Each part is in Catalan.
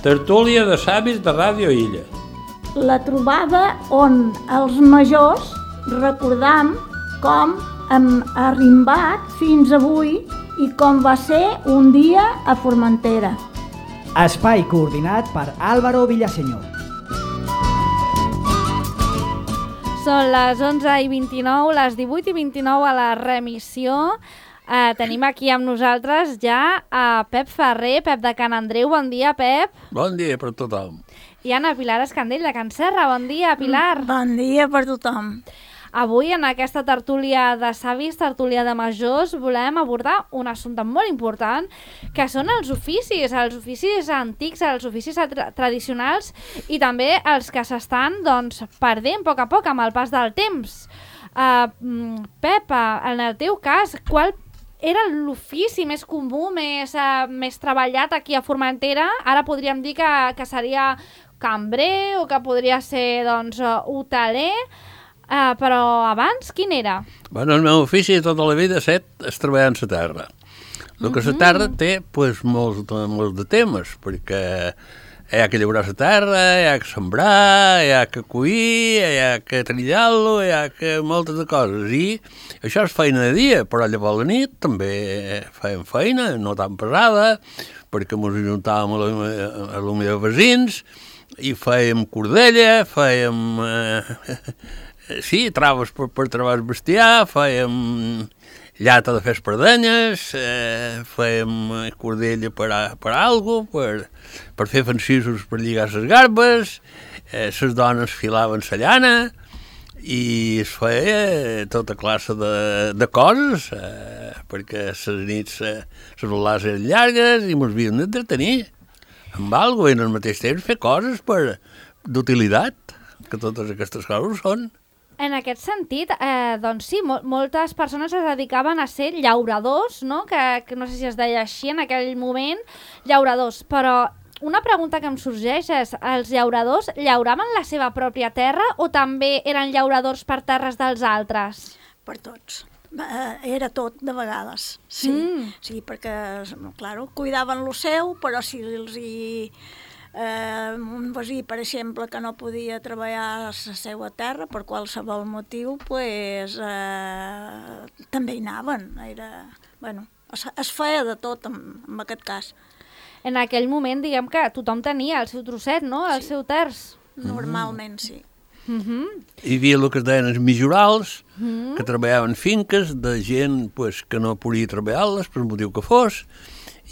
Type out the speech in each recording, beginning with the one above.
Tertúlia de savis de Ràdio Illa. La trobada on els majors recordam com hem arrimbat fins avui i com va ser un dia a Formentera. Espai coordinat per Álvaro Villaseñor. Són les 11:29, les 18:29 a la remissió. Tenim aquí amb nosaltres ja a Pep Ferrer, Pep de Can Andreu. Bon dia, Pep. Bon dia per tothom. I Anna Pilar Escandell de Can Serra. Bon dia, Pilar. Bon dia per tothom. Avui, en aquesta tertúlia de savis, tertúlia de majors, volem abordar un assumpte molt important, que són els oficis antics, els oficis tradicionals i també els que s'estan perdent a poc amb el pas del temps. Pep, en el teu cas, qual era l'ofici més comú, més treballat aquí a Formentera? Ara podríem dir que seria cambrer o que podria ser hoteler, però abans quin era? Bueno, el meu ofici tota la vida és treballar en la terra. El que la terra té molts de temes, perquè hi ha que llaurar la terra, hi ha que sembrar, hi ha que collir, hi ha que trillar-lo, hi ha que moltes de coses. I això és feina de dia, però llavors a la nit també fèiem feina, no tan pesada, perquè ens ajuntàvem a la millor veïns i fèiem cordella, fèiem traves per travar el bestiar, fèiem llata de fer espardenyes, fèiem cordella per alguna cosa, per fer fancissos per lligar les garbes, les dones filaven la llana i es feia tota classe de coses, perquè les nits les volades eren llargues i ens havíem d'entretenir amb alguna cosa i al mateix temps fer coses d'utilitat, que totes aquestes coses són. En aquest sentit, sí, moltes persones es dedicaven a ser llauradors, no? Que no sé si es deia així en aquell moment, llauradors, però una pregunta que em sorgeix és, els llauradors llauraven la seva pròpia terra o també eren llauradors per terres dels altres? Per tots. Era tot de vegades, sí. Sí, perquè, clar, cuidaven lo seu, però si els un veí, per exemple, que no podia treballar a la seva terra per qualsevol motiu, també hi anaven. Es feia de tot en aquest cas. En aquell moment, diguem que tothom tenia el seu trosset, no? El seu terç. Normalment, sí. Hi havia el que es deien els mijorals, que treballaven finques de gent que no podia treballar-les per motiu que fos,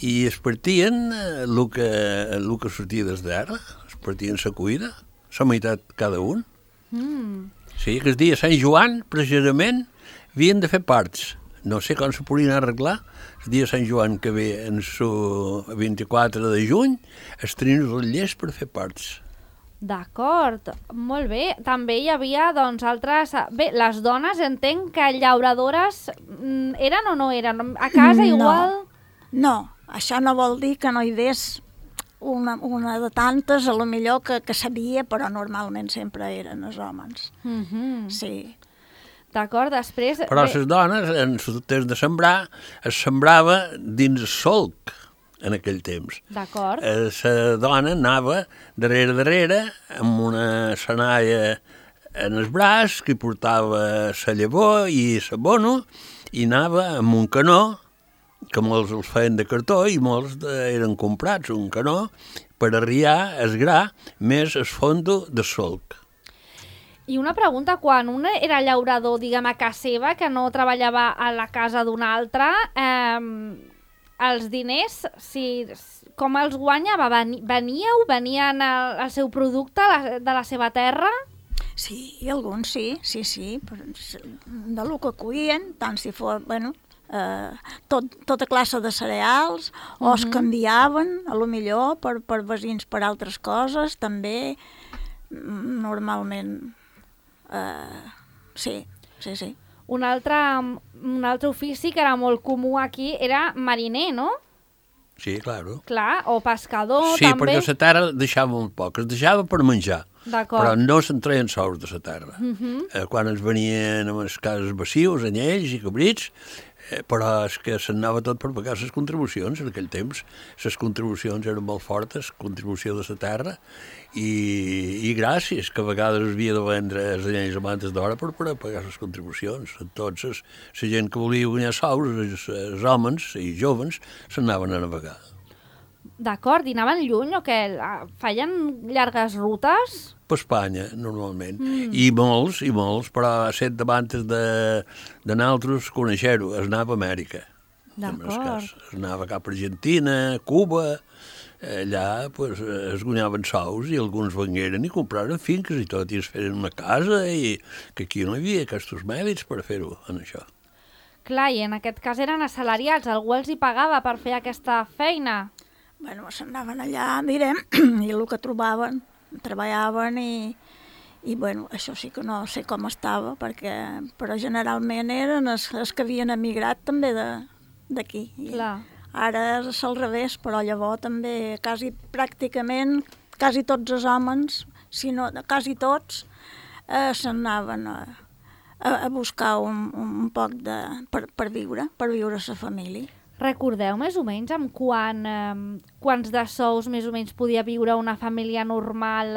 i es partien el que sortia des d'ara, es partien la cuida, la meitat cada un. Sí, que el dia Sant Joan, precisament, havien de fer parts. No sé com se podien arreglar. El dia Sant Joan que ve en el 24 de juny, es tenien els ratllers per fer parts. D'acord, molt bé. També hi havia, altres... Bé, les dones entenc que llauradores eren o no eren? A casa igual? No, això no vol dir que no hi hagués una de tantes, a lo millor que sabia, però normalment sempre eren els homes. Sí. D'acord, després... Però les dones, en el temps de sembrar, es sembrava dins el solc en aquell temps. D'acord. La dona anava darrere amb una senalla en el braç que portava la llavor i l'abono i anava amb un canó, que molts els feien de cartó i molts eren comprats, un canó, per arriar el gra més el fondo de solc. I una pregunta, quan un era llaurador, diguem, a casa seva, que no treballava a la casa d'un altre, els diners, com els guanyava? Venien el seu producte de la seva terra? Sí, alguns sí. De lo que cuien, tant si fos, tota classe de cereals, o es canviaven, a lo millor, per veïns per altres coses, també, normalment, sí. Un altre ofici que era molt comú aquí era mariner, no? Sí, claro. Clar, o pescador, sí, també. Sí, perquè la terra deixava molt poc, es deixava per menjar, però no se'n treien sous de la terra. Quan es venien amb les cases bacius, anyells i cabrits, Però és que s'anava tot per pagar les contribucions. En aquell temps les contribucions eren molt fortes, contribució de la terra, i gràcies, que a vegades havia de vendre les llenyes amantes d'hora per pagar les contribucions. Entonces, la gent que volia guanyar sous, els homes i joves, s'anaven a navegar. D'acord, i anaven lluny o què? Feien llargues rutes? Per Espanya, normalment. I molts, però set davantes de nosaltres conèixer-ho, es anava a Amèrica. D'acord. Es anava cap a Argentina, Cuba, allà pues, es guanyaven sous i alguns vengueren i compraren finques i tot, i es feren una casa, i que aquí no hi havia aquests mèdics per fer-ho, en això. Clar, i en aquest cas eren assalariats, algú els hi pagava per fer aquesta feina? Bueno, s'anaven allà, direm, i el que trobaven, treballaven i bueno, això sí que no sé com estava, però generalment eren els que havien emigrat també d'aquí. Clar. Ara és al revés, però llavors també pràcticament quasi tots els homes, si no quasi tots, s'anaven a buscar un poc per viure la família. Recordeu més o menys amb quants de sous més o menys podia viure una família normal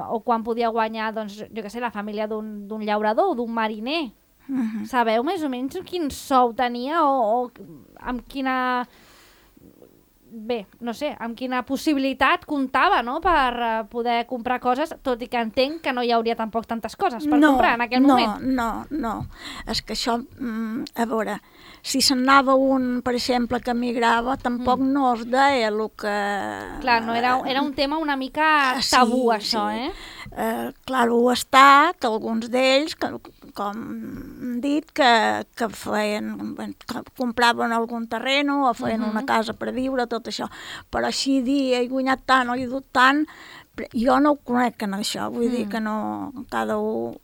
o quan podia guanyar, doncs, jo què sé, la família d'un llaurador o d'un mariner? Sabeu més o menys quin sou tenia o amb quina... Bé, no sé, amb quina possibilitat comptava, no?, per poder comprar coses, tot i que entenc que no hi hauria tampoc tantes coses per comprar en aquell moment. No. És que això, a veure, si s'anava un, per exemple, que emigrava, tampoc no es deia el que... Clar, no, era un tema una mica tabú, això, sí. Clar, ho està, que alguns d'ells, com hem dit, que feien, que compraven algun terreno o feien una casa per viure, tot això. Però així dir, he guanyat tant o he dut tant, jo no ho conec en això, vull dir que no, cada un...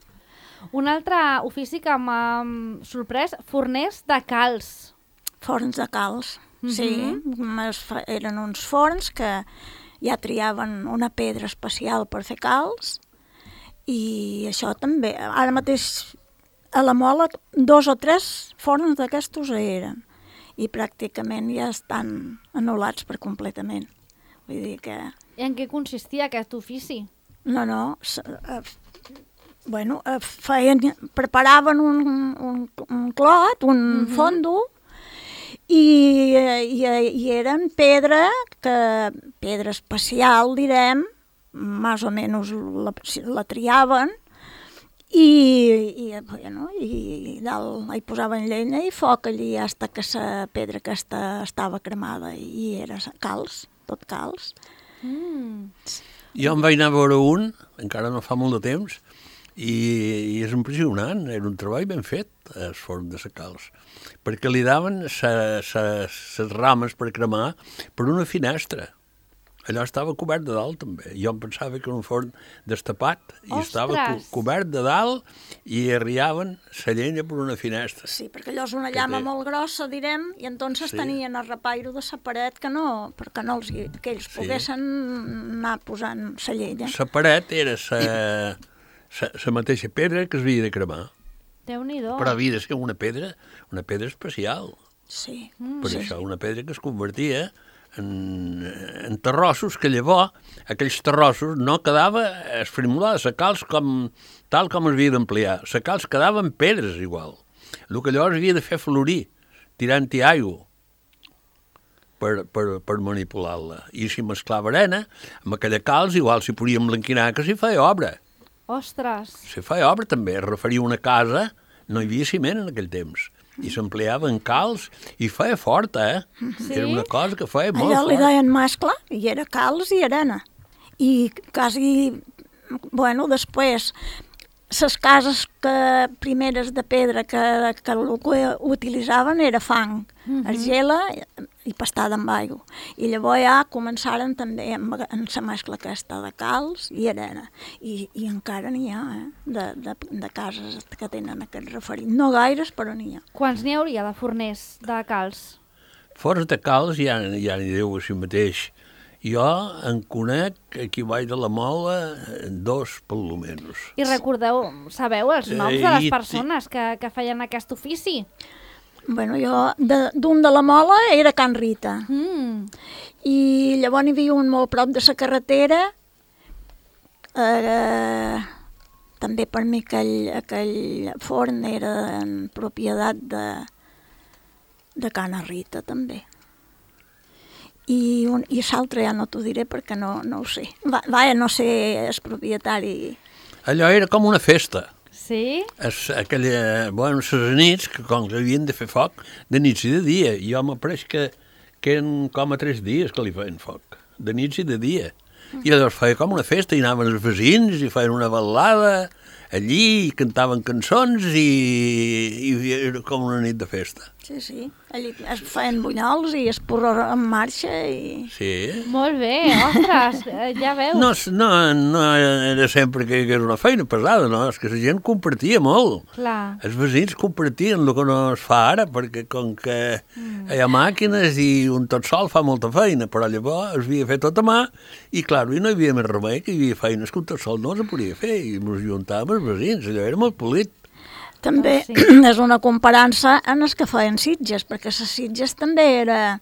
Un altre ofici que m'ha sorprès, forners de calç. Forns de calç, sí. Eren uns forns que ja triaven una pedra especial per fer calç, i això també. Ara mateix a la Mola 2 o 3 forns d'aquestos eren, i pràcticament ja estan anul·lats per completament. Vull dir que... I en què consistia aquest ofici? No, bueno, preparaven un clot, un fondo, i eren pedra especial, direm, més o menys la triaven, i dalt hi posaven llenya i foc allí fins que la pedra aquesta estava cremada, i era calç, tot calç. Jo em vaig anar a veure un, encara no fa molt de temps, i és impressionant, era un treball ben fet, el forn de la calç, perquè li daven les rames per cremar per una finestra. Allò estava cobert de dalt, també. Jo em pensava que era un forn destapat, i estava cobert de dalt, i arriaven la llenya per una finestra. Sí, perquè allò és una llama molt grossa, direm, i entonces tenien el repairo de la paret que ells poguessin anar posant la llenya. La paret era la mateixa pedra que s'havia de cremar. Déu-n'hi-do. Però havia de ser una pedra especial. Sí. Per això, una pedra que es convertia en terrossos, que llavors aquells terrossos no quedava esfrimolada la calç tal com es havia d'ampliar. La calç quedava en pedres igual. El que llavors havia de fer florir, tirant-hi aigua per manipular-la. I si mesclava arena, amb aquella calç igual s'hi podia emblanquinar, que s'hi feia obra. Ostres! S'hi feia obra també, es referia a una casa, no hi havia ciment en aquell temps, i s'empleava en calç, i feia forta, Sí? Era una cosa que feia molt allò fort. li deien mescla, i era calç i arena. I quasi, bueno, després, les cases primeres de pedra que el que utilitzaven era fang, argila i pastada amb aigua. I llavors ja començaren també en la mescla aquesta de calç i arena. I encara n'hi ha, de cases que tenen aquest referit. No gaires, però n'hi ha. Quants n'hi hauria de forners de calç? Forns de calç ja n'hi deu a si mateix. Jo en conec, aquí baix de la Mola, 2 per lo menys. I sabeu els noms de les persones que feien aquest ofici? Bueno, jo d'un de la Mola era Can Rita. I llavors hi havia un molt prop de la carretera, també per mi aquell forn era en propietat de Can Rita, també. I l'altre ja no t'ho diré perquè no ho sé. No sé el propietari. Allò era com una festa. Sí? Les nits, que com que havien de fer foc, de nits i de dia. Jo m'apareix que eren com a 3 dies que li feien foc, de nits i de dia. I llavors feia com una festa, i anaven els veïns i feien una ballada allí, i cantaven cançons i era com una nit de festa. Sí, allí es feien bunyols i es porró en marxa i... Sí. Molt bé, ostres, ja veus. No era sempre que hi hagués una feina pesada, no, és que la gent compartia molt. Clar. Els veïns compartien el que no es fa ara, perquè com que hi ha màquines i un tot sol fa molta feina, però llavors es havia fet tot a mà i, clar, i no hi havia més remei, que hi havia feines que un tot sol no es podia fer i ens juntàvem els veïns, allò era molt polit. També és una comparança en els que feien sitges, perquè les sitges també era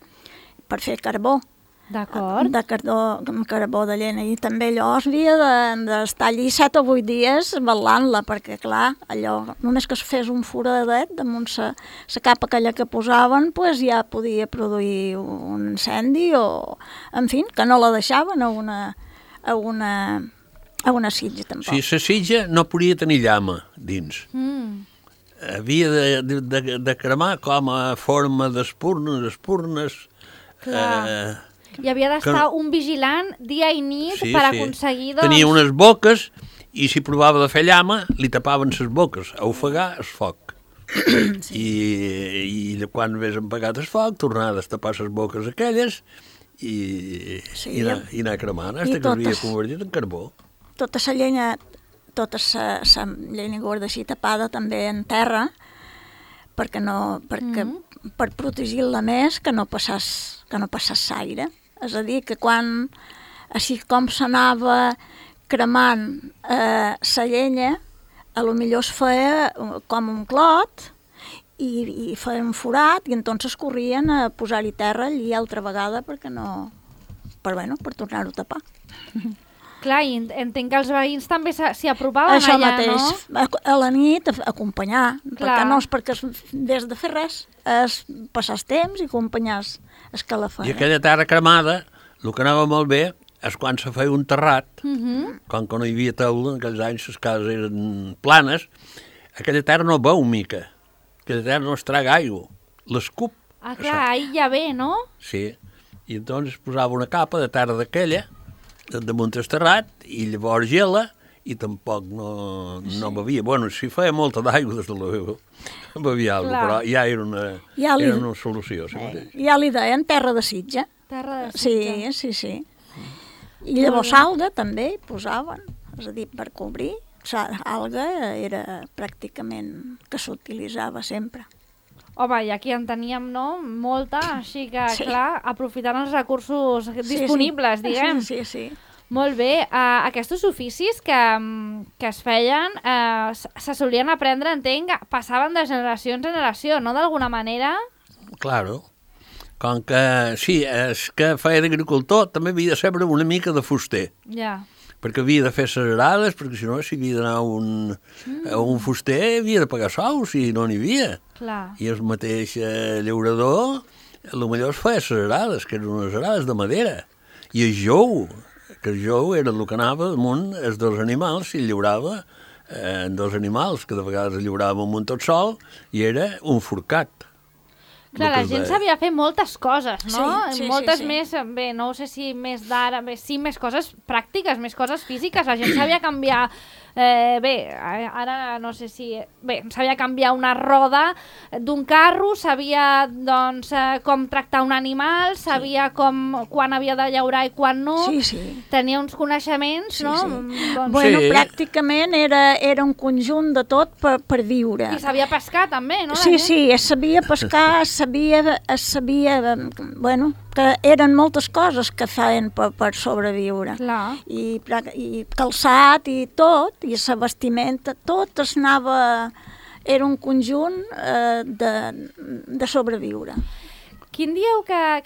per fer carbó. D'acord. De carbó de llenya. I també allò es havia d'estar allí 7 o 8 dies ballant-la, perquè clar, allò, només que es fes un foradet damunt la capa aquella que posaven, pues ja podia produir un incendi o, en fi, que no la deixaven a una sitja, tampoc. Sí, la sitja no podia tenir llama dins. Havia de cremar com a forma d'espurnes. Hi havia d'estar un vigilant dia i nit per aconseguir... Tenia unes boques i si provava de fer llama, li tapaven les boques, a ofegar el foc. I quan hagués empagat el foc, tornava a destapar les boques aquelles i anar cremant, fins que es havia convertit en carbó. Tota la llenya gorda així tapada també en terra, per protegir-la més que no passés l'aire. És a dir, que quan, així com s'anava cremant la llenya, potser es feia com un clot i feia un forat i entonces corrien a posar-hi terra allí altra vegada per tornar-ho a tapar. Clar, i entenc que els veïns també s'hi apropaven això allà, mateix, no? A la nit, acompanyar, perquè no és perquè des de fer res, és passar el temps i acompanyar el que la feia. I aquella terra cremada, el que anava molt bé és quan se feia un terrat, com que no hi havia teula, en aquells anys les cases eren planes, aquella terra no veu mica, aquella terra no es traga aigua, l'escup. Ah, clar, aïlla bé, no? Sí, i llavors posava una capa de terra d'aquella, damunt el terrat, i llavors gela, i tampoc no bevia. Bueno, si feia molta d'aigua, des de la bevia alguna cosa, però ja era una solució. Ja li deien terra de sitja. Terra de sitja. Sí. I llavors alga també hi posaven, és a dir, per cobrir. Alga era pràcticament que s'utilitzava sempre. Home, i aquí en teníem, no?, molta, així que, clar, aprofitant els recursos disponibles, diguem. Sí. Molt bé. Aquests oficis que es feien se solien aprendre, entenc, passaven de generació en generació, no?, d'alguna manera? Claro. Com que, sí, és que feia d'agricultor, també havia de saber una mica de fuster. Ja. Perquè havia de fer les arades, perquè si no, si havia d'anar a un fuster, havia de pagar sous, i no n'hi havia. Clar. I el mateix llaurador, potser es feia les arades, que eren unes arades de madera. I el jou, que el jou era el que anava damunt els dos animals, i llaurava dos animals, que de vegades llaurava amb un tot sol, i era un forcat. Clar, la gent sabia fer moltes coses, no? Sí, moltes més, bé, no sé si més d'ara, sí, més coses pràctiques, més coses físiques. La gent sabia canviar, ara no sé si... Bé, sabia canviar una roda d'un carro, sabia, doncs, com tractar un animal, sabia quan havia de llaurar i quan no. Sí. Tenia uns coneixements, no? Doncs... Bueno, pràcticament era un conjunt de tot per viure. I sabia pescar també, no? Sí, es sabia pescar, es sabia, bueno, que eren moltes coses que feien per sobreviure. Clar. I calçat i tot, i la vestimenta, tot es anava era un conjunt de sobreviure. Quin dieu que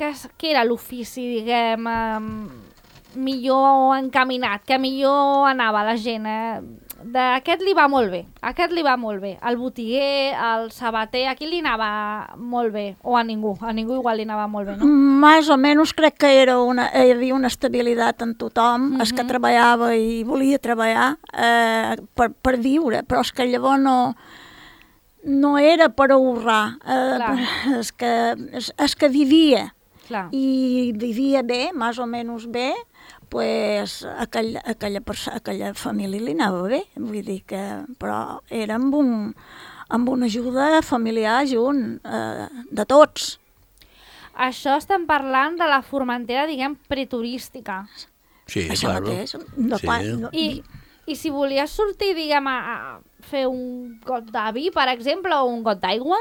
era l'ofici, diguem, millor encaminat, que millor anava la gent? Aquest li va molt bé, aquest li va molt bé. El botiguer, el sabater, a qui li anava molt bé? O a ningú igual li anava molt bé, no? Més o menys crec que hi havia una estabilitat en tothom, el que treballava i volia treballar per viure, però és que llavors no era per ahorrar, és que vivia. Clar. I vivia bé, més o menys bé, pues aquella família li anava bé, vull dir que, però era amb una ajuda familiar junt, de tots. Això estem parlant de la Formentera, diguem, preturística. Sí, Això claro. mateix. I si volies sortir, diguem, a fer un got de vi, per exemple, o un got d'aigua,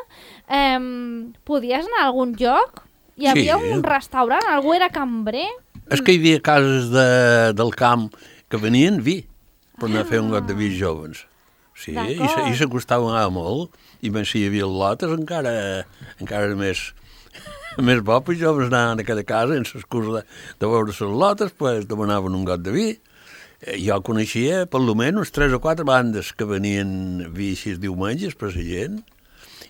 podies anar a algun lloc? Hi havia un restaurant? Algú era cambrer? És que hi havia cases del camp que venien vi per anar a fer un got de vi joves. Sí, i s'acostaven molt. I més si hi havia lotes encara més bo, pues joves anaven a cada casa sense excusa de veure les lotes, pues demanaven un got de vi. Jo coneixia per almenys 3 o 4 bandes que venien vi així diumenges per la gent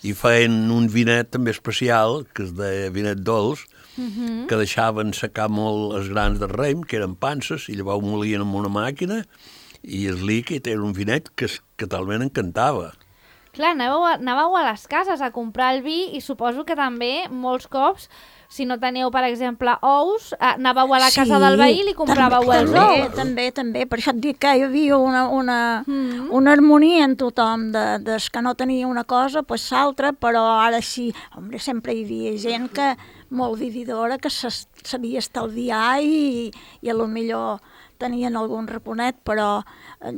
i feien un vinet també especial, que es deia vinet dolç, que deixaven secar molt els grans de raïm, que eren panses, i llavors ho molien amb una màquina, i el líquid era un vinet que talment encantava. Clar, anàveu a les cases a comprar el vi i suposo que també molts cops, si no teníeu, per exemple, ous, anàveu a la casa del veí i li compràveu els ous. També. Per això et dic que hi havia una harmonia en tothom, des que no tenia una cosa, pues l'altra, però ara sí, sempre hi havia gent que molt vividora, que sabia estalviar i a lo millor tenien algun reponet, però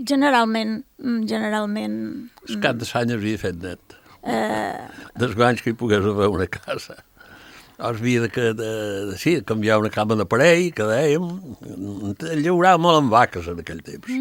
generalment... El cap de l'any havia fet net. Dels guanys que hi pogués haver una casa. Havia de canviar una cama d'aparell, que dèiem, llaurava molt amb vaques en aquell temps,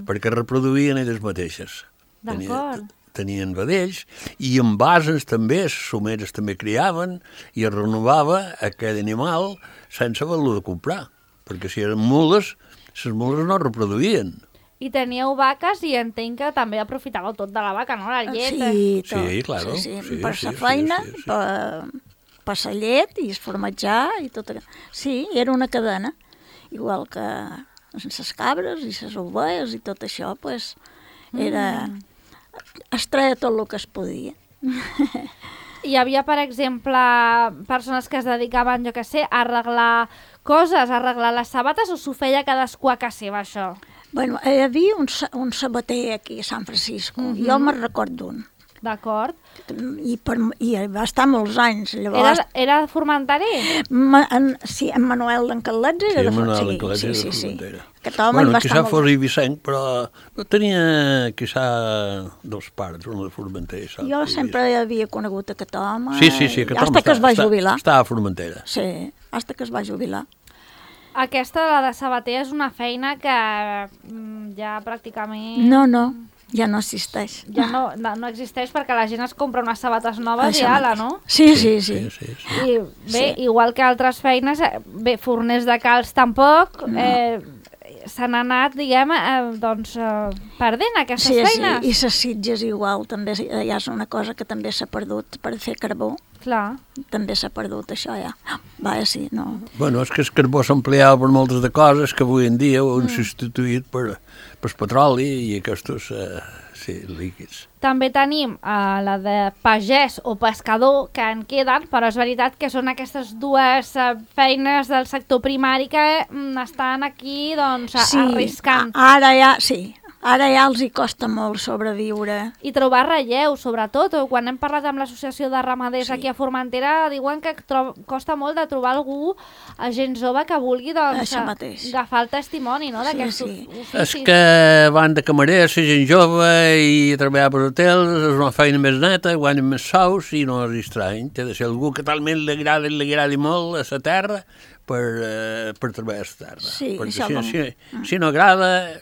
perquè reproduïen elles mateixes. D'acord. Tenien vedells, i amb bases també, les someres també criaven, i es renovava aquell animal sense haver-lo de comprar, perquè si eren mules, les mules no reproduïen. I teníeu vaques i entenc que també aprofitàveu tot de la vaca, no? La llet. Sí, tot. Sí, claro. Sí. Per la feina, per la llet i el formatjar i tot. Sí, era una cadena, igual que les cabres i les ovelles i tot això, pues, era... Es treia tot el que es podia. Hi havia, per exemple, persones que es dedicaven, jo què sé, a arreglar coses, a arreglar les sabates, o s'ho feia cadascú a casa seva, això? Bueno, hi havia un sabater aquí a San Francisco, jo me'n recordo d'un. D'acord. I va estar molts anys. Llavors... Era formenterer? Sí, en Manuel d'Encalets era de Formentera. Sí, Manuel d'Encalets era de Formentera. Aquest home hi va estar molt... Quizà fos Eivissenc, però no tenia, quizà, dos pares, una de Formentera. Jo sempre havia conegut aquest home. Sí, aquest home que es va jubilar. Estava a Formentera. Sí, fins que es va jubilar. Aquesta, la de sabater, és una feina que ja pràcticament... No, ja no existeix. Ja no existeix perquè la gent es compra unes sabates noves i ala, no? Sí. I bé, igual que altres feines, bé, forners de calç tampoc, s'han anat, diguem, perdent aquestes feines. Sí, i les sitges igual, també ja és una cosa que també s'ha perdut per fer carbó. Clar. També s'ha perdut això ja. Sí, no. Bueno, és que el carbó s'empleava per moltes de coses que avui en dia ho han substituït per petroli i aquests líquids. També tenim la de pagès o pescador que en queden, però és veritat que són aquestes dues feines del sector primari que estan aquí arriscant. Ara ja els hi costa molt sobreviure. I trobar relleu, sobretot. Quan hem parlat amb l'Associació de Ramaders aquí a Formentera, diuen que costa molt de trobar algú, gent jove, que vulgui agafar el testimoni d'aquests oficis. És que van de camarer, ser gent jove i treballar per hotels, és una feina més neta, guanyen més sous i no és estrany. Té de ser algú que talment li agradi molt a la terra per treballar a la terra. Sí, perquè si no agrada...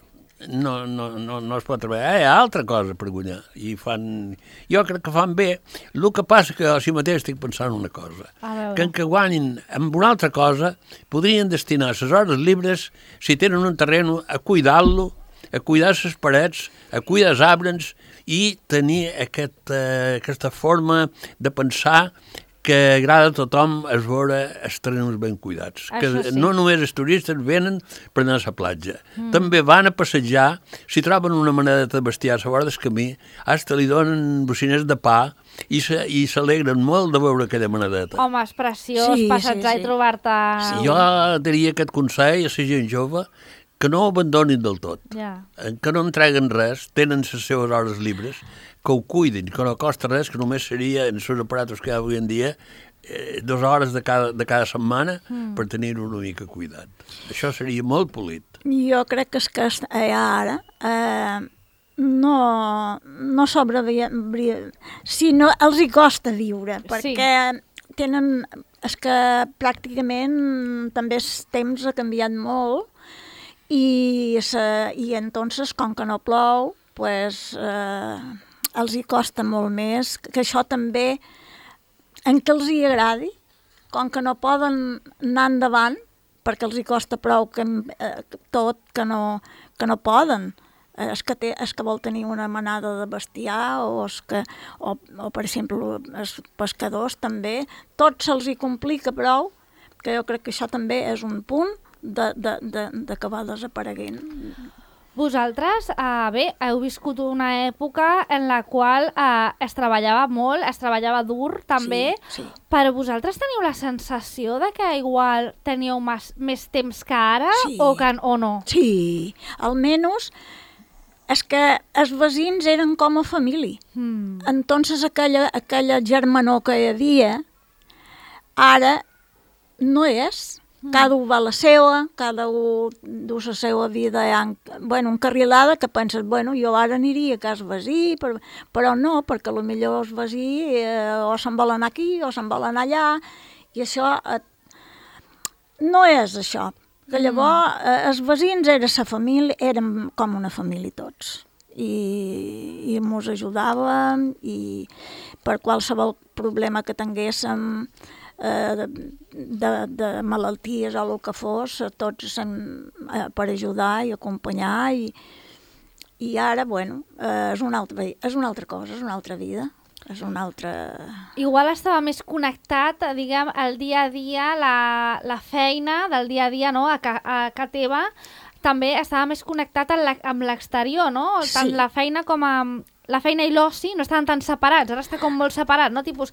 no es pot treballar. Hi ha altra cosa per guanyar. Jo crec que fan bé. El que passa que a si mateix estic pensant una cosa. Que en què guanyin amb una altra cosa podrien destinar les hores lliures, si tenen un terreny, a cuidar-lo, a cuidar les parets, a cuidar els arbres i tenir aquesta forma de pensar que agrada a tothom es veure els terrenys ben cuidats. Que no només els turistes venen per anar a la platja. També van a passejar, si troben una manera de bestiar a la vora del camí, hasta li donen bociners de pa i s'alegren molt de veure aquella manadeta. Home, és preciós passejar i trobar-te... Jo diria aquest consell a la gent jove que no ho abandonin del tot, que no entreguen res, tenen les seves hores lliures, que ho cuidin, que no costa res, que només seria, en els aparatos que hi ha avui en dia, 2 hores de cada setmana per tenir-ho una mica cuidat. Això seria molt polit. Jo crec que és que ara no sobreviure, sinó els hi costa viure, perquè tenen, és que pràcticament també el temps ha canviat molt i entonces, com que no plou, pues, els hi costa molt més, que això també, en què els hi agradi, com que no poden anar endavant, perquè els hi costa prou tot que no poden. És que vol tenir una manada de bestiar o per exemple, els pescadors també, tot se'ls hi complica prou, que jo crec que això també és un punt d'acabar desapareguent. Vosaltres, heu viscut una època en la qual es treballava molt, es treballava dur també, però vosaltres teniu la sensació de que igual teníeu més temps que ara o no? Sí, almenys és que els veïns eren com a família. Entonces aquella germanor que hi havia, ara no és. Cada un va a la seva, cada un du la seva vida encarrilada, que penses, jo ara aniria a casa veí, però no, perquè potser el veí o se'n vol anar aquí o se'n vol anar allà, i això no és això. Que llavors els veïns eren com una família tots, i ens ajudàvem, i per qualsevol problema que tinguéssim, de malalties o el que fos, tots per ajudar i acompanyar, i ara, és una altra cosa, és una altra vida, és una altra... Igual estava més connectat, diguem, al dia a dia, la feina del dia a dia, no?, a casa teva, també estava més connectat amb l'exterior, no? Tant la feina com la feina i l'oci no estaven tan separats, ara està com molt separat, no? Tipus,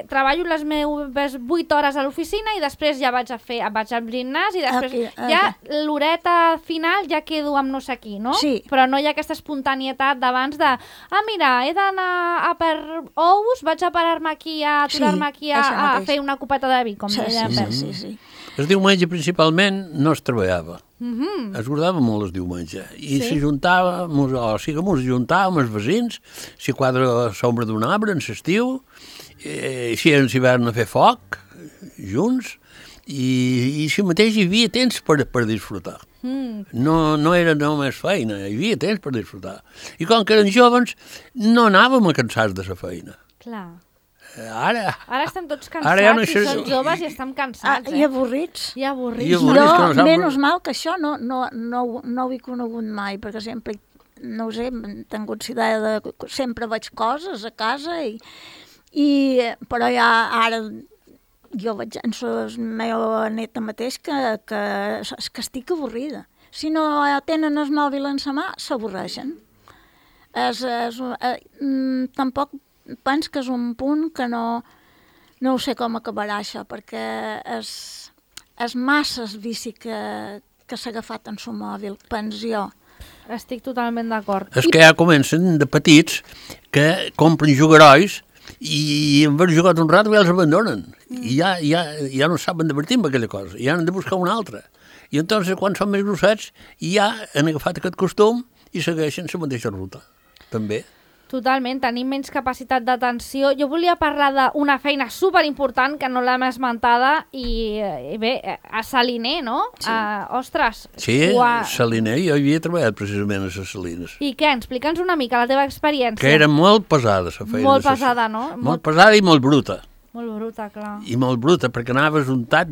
treballo les meves 8 hores a l'oficina i després ja vaig al gimnàs i després ja l'horeta final ja quedo amb no sé qui, no? Sí. Però no hi ha aquesta espontanietat d'abans de mira, he d'anar a per ous, vaig a parar-me aquí, a aturar-me aquí a fer una copeta de vi, com deia Pep. Sí. El diumenge principalment no es treballava. Es guardava molt el diumenge i s'ajuntàvem, els veïns, si quadra l'ombra d'un arbre en l'estiu, si en l'hivern a fer foc junts, i si mateix hi havia temps per disfrutar. No era només feina, hi havia temps per disfrutar. I com que eren joves, no anàvem a cansats de la feina. Clar. Ara estem tots cansats, i som joves i estem cansats. I avorrits. Jo, menys mal que això no ho he conegut mai, perquè sempre, no ho sé, he tingut la idea de... Sempre veig coses a casa, però ja ara jo veig en la meva neta mateix que estic avorrida. Si no tenen el mòbil en la mà, s'avorreixen. Tampoc penso que és un punt que no sé com acabarà això, perquè és massa el vici que s'ha agafat en el mòbil, penso jo. Estic totalment d'acord. És que ja comencen de petits que compren jugarois i en haver jugat un rato ja els abandonen. I ja no saben divertir amb aquella cosa, ja han de buscar una altra. I entonces, quan són més grossets, ja han agafat aquest costum i segueixen la mateixa ruta, també. Totalment, tenim menys capacitat d'atenció. Jo volia parlar d'una feina superimportant que no l'hem esmentada i bé, a Saliner, no? Sí. Ostres. Sí, Saliner, jo havia treballat precisament a les Salines. I què? Explica'ns una mica la teva experiència. Que era molt pesada, la feina. Molt pesada, no? Molt pesada i molt bruta. Molt bruta, clar. I molt bruta, perquè anaves untat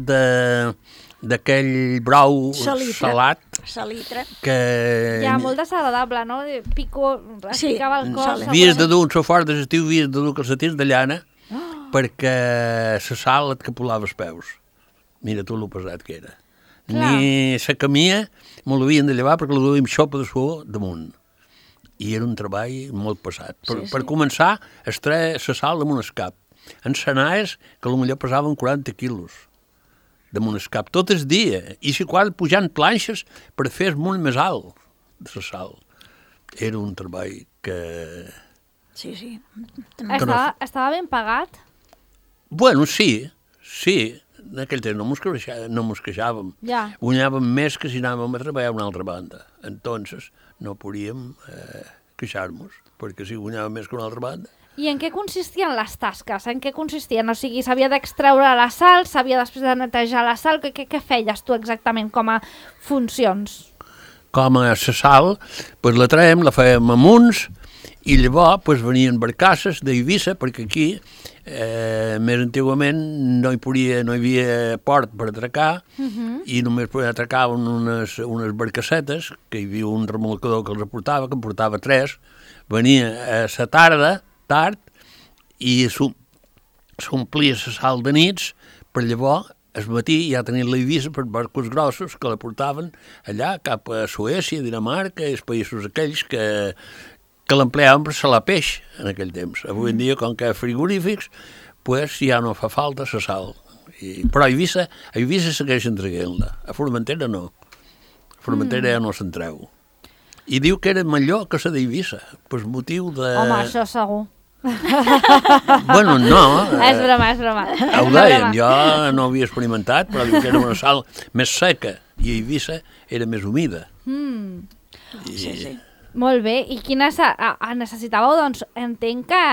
d'aquell brou salat. Salitre. Que... Ja, molt desagradable, no? Pico, es picava el cos. Havies de dur un sofort de l'estiu, havies de dur calcetins de llana, perquè la sal et capolava els peus. Mira tu lo pesat que era. Clar. Ni la camia me l'havien de llevar perquè la duia amb xopa de suor damunt. I era un treball molt pesat. Per començar, es treia la sal damunt el cap. En sanaes que potser pesaven 40 quilos damunt el cap, tot el dia, i si quasi pujant planxes per fer el munt més alt de la sal. Era un treball que... Sí. Estava ben pagat? Bueno, sí. En aquell temps no mos queixàvem. Ja. Guanyàvem més que si anàvem a treballar a una altra banda. Entonces no podíem queixar-nos, perquè si guanyàvem més que una altra banda. I en què consistien les tasques? En què consistien? O sigui, s'havia d'extreure la sal, s'havia després de netejar la sal, què feies tu exactament com a funcions? Com a la sal, pues la traiem, la fèiem amb uns, i llavors venien barcasses d'Eivissa, perquè aquí, més antigament, no hi havia port per atracar, i només atracaven unes barcassetes, que hi havia un remolcador que els aportava, que en portava 3, venia a la tarda, tard, i s'omplia la sal de nits, per llavors, al matí ja tenien l'Eivissa per barcos grossos que la portaven allà cap a Suècia, Dinamarca i els països aquells que l'empleaven per salar peix en aquell temps. Avui en dia, com que hi ha frigorífics, pues ja no fa falta la sal. Però a Eivissa segueixen traient-la. A Formentera no. A Formentera ja no se'n treu. I diu que era millor que la d'Eivissa, per motiu de... Home, això segur. Bueno, no. És broma. Ho deien, jo no havia experimentat, però diu que era una sal més seca i Eivissa era més humida. Sí. Molt bé, i quines necessitàveu, doncs, entenc que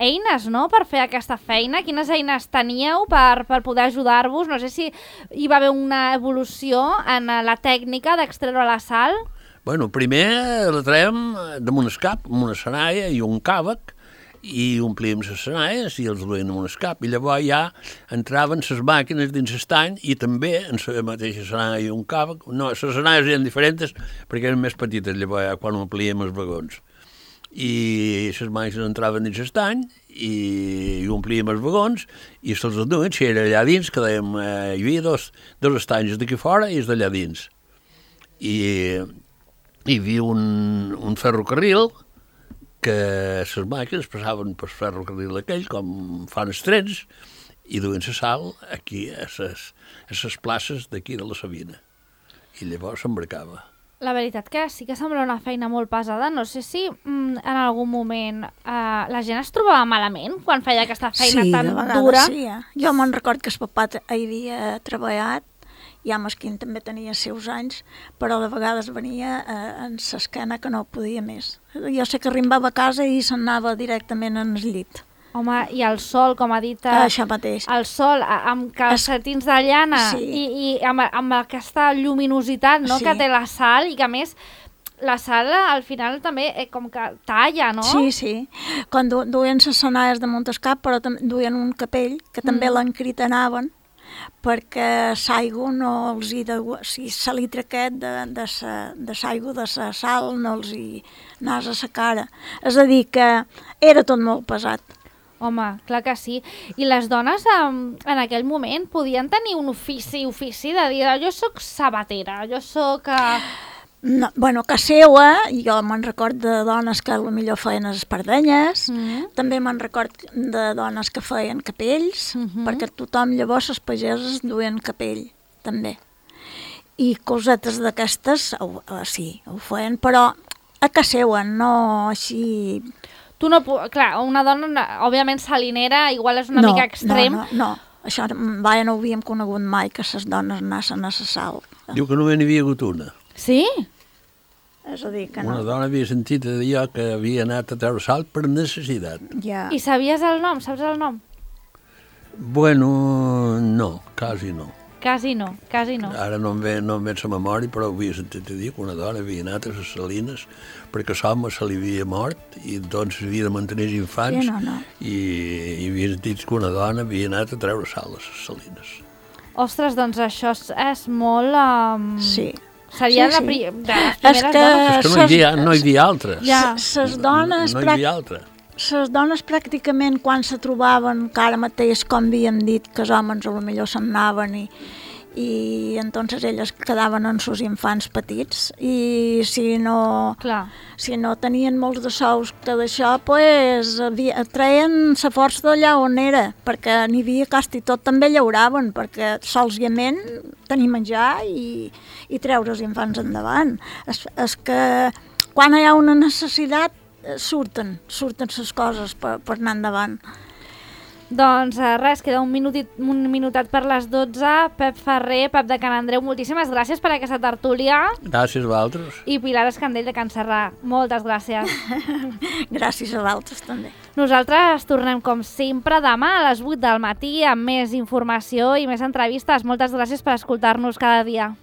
eines, no?, per fer aquesta feina. Quines eines teníeu per poder ajudar-vos? No sé si hi va haver una evolució en la tècnica d'extreure la sal. Bueno, primer la traiem damunt el cap, amb una senaia i un càvec, i omplíem les senaies i els duien amb un cap, i llavors ja entraven les màquines dins l'estany i també en la mateixa senaia i un càvec. No, les senaies eren diferents perquè eren més petites llavors ja quan omplíem els vagons. I les màquines entraven dins l'estany i omplíem els vagons i se'ls duien, si era allà dins, que dèiem, hi havia dos estanys d'aquí fora i els d'allà dins. I hi havia un ferrocarril que les màquines passaven per ferrocarril aquell, com fan els trens, i duien la sal aquí, a les places d'aquí de la Sabina. I llavors s'embarcava. La veritat que sí que sembla una feina molt pesada. No sé si en algun moment la gent es trobava malament quan feia aquesta feina tan dura. Sí, jo me'n record que el papà hi havia treballat, ja Mesquín també tenia seus anys, però de vegades venia en l'esquena que no podia més. Jo sé que arribava a casa i se'n anava directament en el llit. Home, i el sol, com ha dit... Això mateix. El sol, amb calcetins de llana i amb aquesta lluminositat, no?, que té la sal, i que a més la sal al final també com que talla, no? Sí. Quan duien les senaies damunt el cap, però duien un capell que també l'encritenaven, perquè l'aigua no els hi de... O sigui, el litre aquest de l'aigua, de la sal, no els hi anàs a la cara. És a dir, que era tot molt pesat. Home, clar que sí. I les dones en aquell moment podien tenir un ofici de dir, jo sóc sabatera, jo sóc... No, bueno, que seua, jo me'n record de dones que potser feien espardenyes, també me'n record de dones que feien capells, perquè tothom llavors, els pagesos, duien capell, també. I cosetes d'aquestes, sí, ho feien, però a que seuen, no així... Tu no... Clar, una dona, òbviament salinera, igual és una mica extrem. No, això no ho havíem conegut mai, que les dones anaven a la sal. Diu que només n'hi havia hagut una. Sí? És a dir, que Una no. dona havia sentit a dir jo que havia anat a treure sal per necessitat. Ja. I sabies el nom? Saps el nom? Bueno, no, quasi no. Quasi no. Ara no em ve la memòria, però havia sentit a dir que una dona havia anat a les salines perquè l'home se li havia mort i doncs havia de mantenir els infants Sí, no. i havia sentit que una dona havia anat a treure sal a les salines. Ostres, doncs això és molt... Sí. Seria Sí, de sí. les primeres És que- dones. És que no hi havia altres. Ja. Ses dones, No hi havia altres. ses dones pràcticament quan se trobaven, que ara mateix, com havíem dit, que els homes potser se'n anaven i entonces elles quedaven amb els infants petits i si no tenien molts de sous d'això, pues, treien la força d'allà on era, perquè n'hi havia quasi tot també llauraven, perquè solament tenir menjar i treure els infants endavant. És que quan hi ha una necessitat surten les coses per anar endavant. Doncs res, queda un minutet per les 12. Pep Ferrer, Pep de Can Andreu, moltíssimes gràcies per aquesta tertúlia. Gràcies a vosaltres. I Pilar Escandell de Can Serrà, moltes gràcies. Gràcies a vosaltres també. Nosaltres tornem com sempre demà a les 8 del matí amb més informació i més entrevistes. Moltes gràcies per escoltar-nos cada dia.